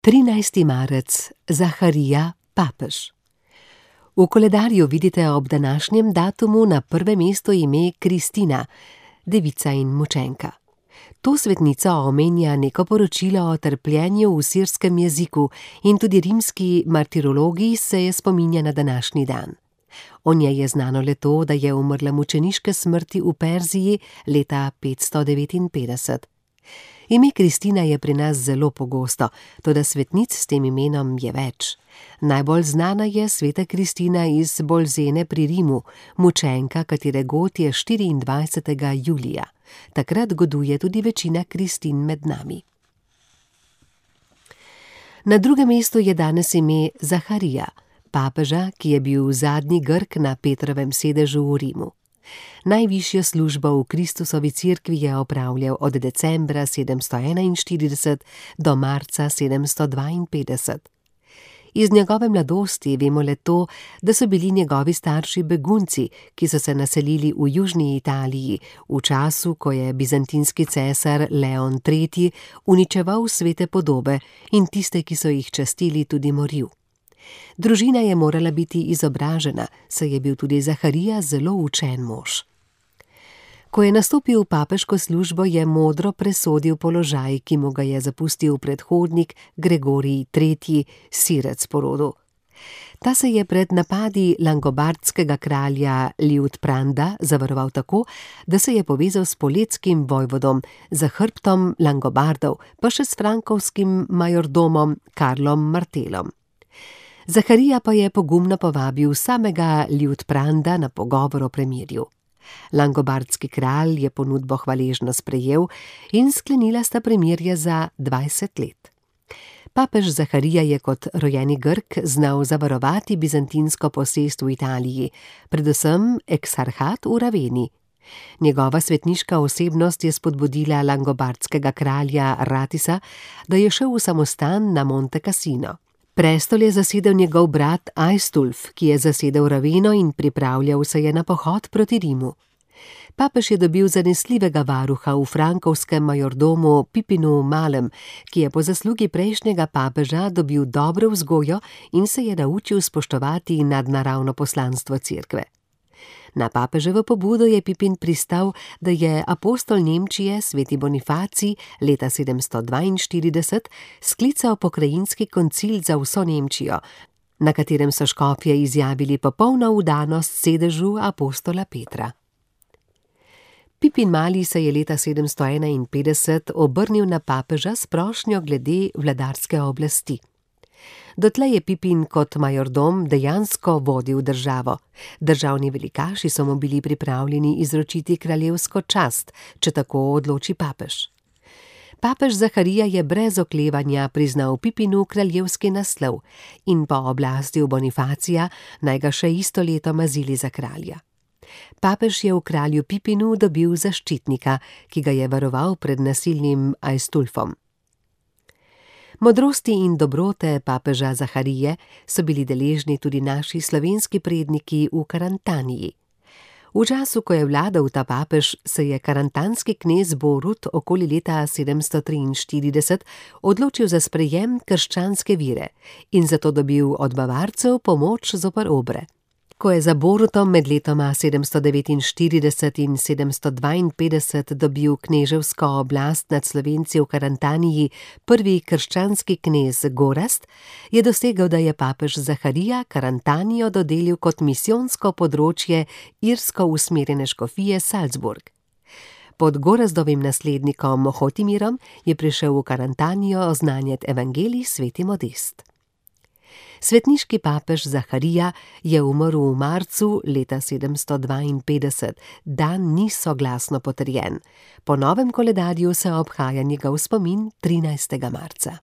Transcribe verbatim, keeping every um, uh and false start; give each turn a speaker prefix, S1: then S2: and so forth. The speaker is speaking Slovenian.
S1: trinajsti marec, Zaharija, papež. V koledarju vidite ob današnjem datumu na prvem mestu ime Kristina, devica in mučenka. To svetnica omenja neko poročilo o trpljenju v sirskem jeziku in tudi rimski martirologiji se je spominja na današnji dan. O njej je znano le to, da je umrla mučeniške smrti v Perziji leta petsto devetinpetdeset. Ime Kristina je pri nas zelo pogosto, toda svetnic s tem imenom je več. Najbolj znana je sveta Kristina iz Bolzene pri Rimu, mučenka, katere god je štiriindvajsetega julija. Takrat goduje tudi večina Kristin med nami. Na drugem mestu je danes ime Zaharija, papeža, ki je bil zadnji Grk na Petrovem sedežu v Rimu. Najvišjo službo v Kristusovi cerkvi je opravljal od decembra sedemsto enainštirideset do marca sedemsto dvainpetdeset. Iz njegove mladosti vemo le to, da so bili njegovi starši begunci, ki so se naselili v južni Italiji v času, ko je bizantinski cesar Leon tretji uničeval svete podobe in tiste, ki so jih častili, tudi moril. Družina je morala biti izobražena, saj je bil tudi Zaharija zelo učen mož. Ko je nastopil v papeško službo, je modro presodil položaj, ki mu ga je zapustil predhodnik Gregorij tretji, Sirec po rodu. Ta se je pred napadi langobardskega kralja Liutpranda zavaroval tako, da se je povezal s poletskim vojvodom, za hrbtom Langobardov, pa še s frankovskim majordomom Karlom Martelom. Zaharija pa je pogumno povabil samega Liutpranda na pogovor o premirju. Langobardski kralj je ponudbo hvaležno sprejel in sklenila sta premirje za dvajset let. Papež Zaharija je kot rojeni Grk znal zavarovati bizantinsko posest v Italiji, predvsem eksarhat v Raveni. Njegova svetniška osebnost je spodbudila langobardskega kralja Ratisa, da je šel v samostan na Monte Cassino. Prestol je zasedel njegov brat Aistulf, ki je zasedel Raveno in pripravljal se je na pohod proti Rimu. Papež je dobil zanesljivega varuha v frankovskem majordomu Pipinu Malem, ki je po zaslugi prejšnjega papeža dobil dobro vzgojo in se je naučil spoštovati nadnaravno poslanstvo cerkve. Na papeževo pobudo je Pipin pristal, da je apostol Nemčije sveti Bonifacij leta sedemsto dvainštirideset sklical pokrajinski koncil za vso Nemčijo, na katerem so škofje izjavili popolno vdanost sedežu apostola Petra. Pipin Mali se je leta sedemsto enainpetdeset obrnil na papeža s prošnjo glede vladarske oblasti. Dotlej je Pipin kot majordom dejansko vodil državo. Državni velikaši so mu bili pripravljeni izročiti kraljevsko čast, če tako odloči papež. Papež Zaharija je brez oklevanja priznal Pipinu kraljevski naslov in po oblasti Bonifacija naj ga še isto leto mazili za kralja. Papež je v kralju Pipinu dobil zaščitnika, ki ga je varoval pred nasilnim Aistulfom. Modrosti in dobrote papeža Zaharije so bili deležni tudi naši slovenski predniki v Karantaniji. V času, ko je vladal ta papež, se je karantanski knez Borut okoli leta sedemsto triinštirideset odločil za sprejem krščanske vire in zato dobil od Bavarcev pomoč zoper Obre. Ko je za Borutom med letoma sedemsto devetinštirideset in sedemsto dvainpetdeset dobil kneževsko oblast nad Slovenci v Karantaniji prvi krščanski knez Gorazd, je dosegel, da je papež Zaharija Karantanijo dodelil kot misijonsko področje irsko usmerjene škofije Salzburg. Pod Gorazdovim naslednikom Hotimirom je prišel v Karantanijo oznanjati evangelij sveti Modest. Svetniški papež Zaharija je umrl v marcu leta sedemsto dvainpetdeset, dan ni soglasno potrjen. Po novem koledarju se obhaja njegov spomin trinajstega marca.